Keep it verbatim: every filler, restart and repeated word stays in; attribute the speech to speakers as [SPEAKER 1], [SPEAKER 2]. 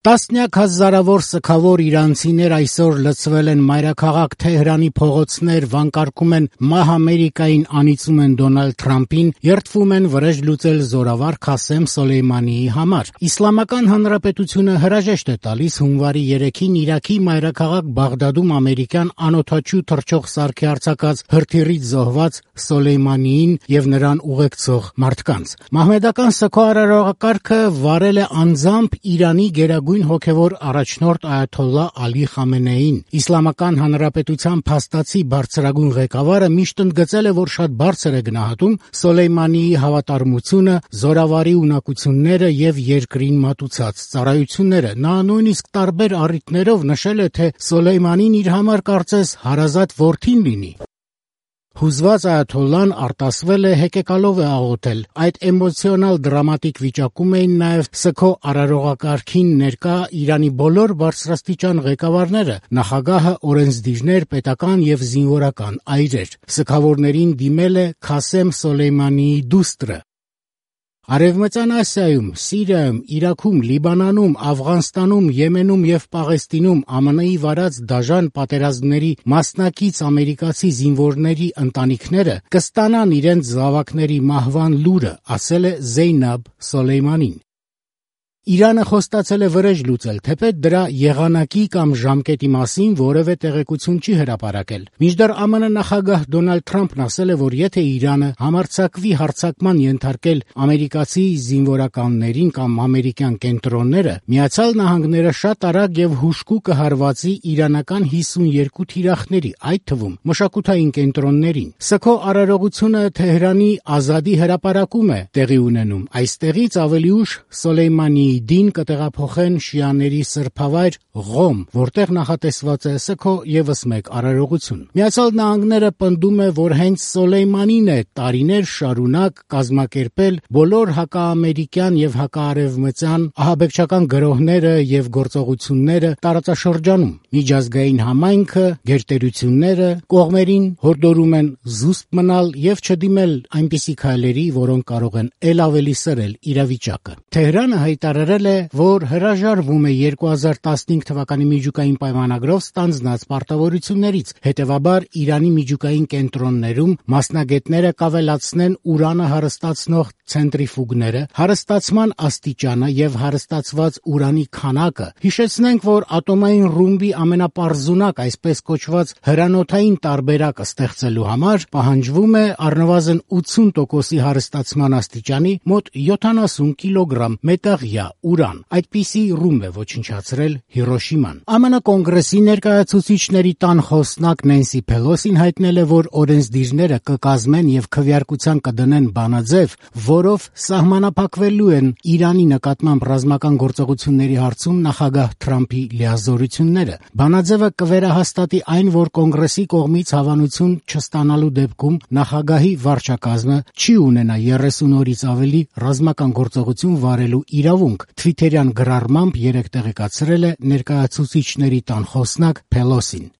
[SPEAKER 1] Տասնյակ հազարավոր սգավոր իրանցիներ այսօր լցվել են մայրաքաղաք Թեհրանի փողոցներ, վանկարկում են «Մահ Ամերիկային», անիծում են Դոնալդ Թրամփին, երդվում են վրեժ լուծել զորավար Քասեմ Սոլեյմանիի համար։ Իսլամական Հանրապետությունը հրաժեշտ է տալիս հունվարի երեքին Իրաքի մայրաքաղաք Բաղդադում ամերիկյան անօդաչու թռչող սարքի արձակած հրթիռից զոհված Սոլեյմանիին եւ նրան ուղեկցող մարդկանց։ Մահմեդական սգո արարողակարգը վարել է անձամբ Իրանի գերագույն հոգևոր առաջնորդ այաթոլլահ Ալի Խամենեին։ Իսլամական Հանրապետության փաստացի բարձրագույն ղեկավարը միշտ ընդգծել է, որ շատ բարձր է գնահատում Սոլեյմանիի հավատարմությունը, զորավարի ունակությունները եւ երկրին մատուցած ծառայությունները։ Նա նույնիսկ տարբեր առիթներով նշել է, թե Սոլեյմանին իր համար կարծես հարազատ որդին լինի։ Հուզված այաթոլլահն արտասվել է, հեկեկալով է աղոթել։ Այդ էմոցիոնալ դրամատիկ վիճակում էին նաև սգո արարողակարգին ներկա Իրանի բոլոր բարձրաստիճան ղեկավարները, նախագահը, օրենսդիրներ, պետական եւ զինվորական այրեր։ Սգավորներին դիմել է Քասեմ Սոլեյմանիի դուստրը։ Արևմտյան Ասիայում, Սիրիայում, Իրաքում, Լիբանանում, Աֆղանստանում, Եմենում եւ Պաղեստինում ԱՄՆ –ի վարած դաժան պատերազմների մասնակից ամերիկացի զինվորների ընտանիքները կստանան իրենց զավակների մահվան լուրը, ասել է Զեյնաբ Սոլեյմանին։ Իրանը խոստացել է վրեժ լուծել, թեպետ դրա եղանակի կամ ժամկետի մասին որևէ տեղեկություն չի հրապարակել։ Մինչդեռ ԱՄՆ նախագահ Դոնալդ Թրամփն ասել է, որ եթե Իրանը համարձակվի հարձակման ենթարկել ամերիկացի զինվորականներին կամ ամերիկյան կենտրոնները, Միացյալ Նահանգները շատ արագ եւ հուժկու կհարվածի իրանական հիսունյոթ թիրախների, այդ թվում մշակութային կենտրոններին։ Սգո արարողությունը Թեհրանի Ազադի հրապարակում է տեղի ունենում։ Այստեղից ավելի ուշ Սոլեյմանիի դին կտեղափոխեն շիաների սրբավայր Ղոմ, որտեղ նախատեսված է սգո եւս մեկ արարողություն։ Միացյալ Նահանգները պնդում է, որ հենց Սոլեյմանին է տարիներ շարունակ կազմակերպել բոլոր հակաամերիկյան եւ հակաարևմտյան ահաբեկչական գրոհները եւ գործողությունները տարածաշրջանում։ Միջազգային համայնքը, գերտերությունները կողմերին հորդորում են զուսպ մնալ եւ չդիմել այնպիսի քայլերի, որոնք կարող են ել ավելի սրել իրավիճակը։ Թեհրանը հայտարարել է, որ հրաժարվում է երկու հազար տասնհինգ թվականի միջուկային պայմանագրով ստանձնած պարտավորություններից, հետևաբար Իրանի միջուկային կենտրոններում մասնագետները կավելացնեն ուրանը հարստացնող ցենտրիֆուգները, հարստացման աստիճանը եւ հարստացված ուրանի քանակը։ Հիշեցնենք, որ ատոմային ռումբի ամենապարզունակ, այսպես կոչված հրանոթային տարբերակը ստեղծելու համար պահանջվում է առնվազն ութսուն տոկոսի հարստացման աստիճանի մոտ յոթանասուն կիլոգրամ մետաղյա ուրան։ Այդպիսի ռումբ է ոչնչացրել Հիրոշիման։ ԱՄՆ կոնգրեսի ներկայացուցիչների տան խոսնակ Նենսի Փելոսին հայտնել է, որ օրենսդիրները կկազմեն եւ քվեարկության կդնեն բանաձև, որով սահմանափակվելու են Իրանի նկատմամբ ռազմական գործողությունների հարցում նախագահ Թրամփի լիազորությունները։ Բանաձևը կվերահաստատի այն, որ կոնգրեսի կողմից հավանություն չստանալու դեպքում նախագահի վարչակազմը չի ունենա երեսուն օրից ավելի ռազմական գործողություն վարելու իրավունք, թվիթերյան գրառմամբ երեկ տեղեկացրել է ներկայացուցիչների տան խոսնակ Փելոսին։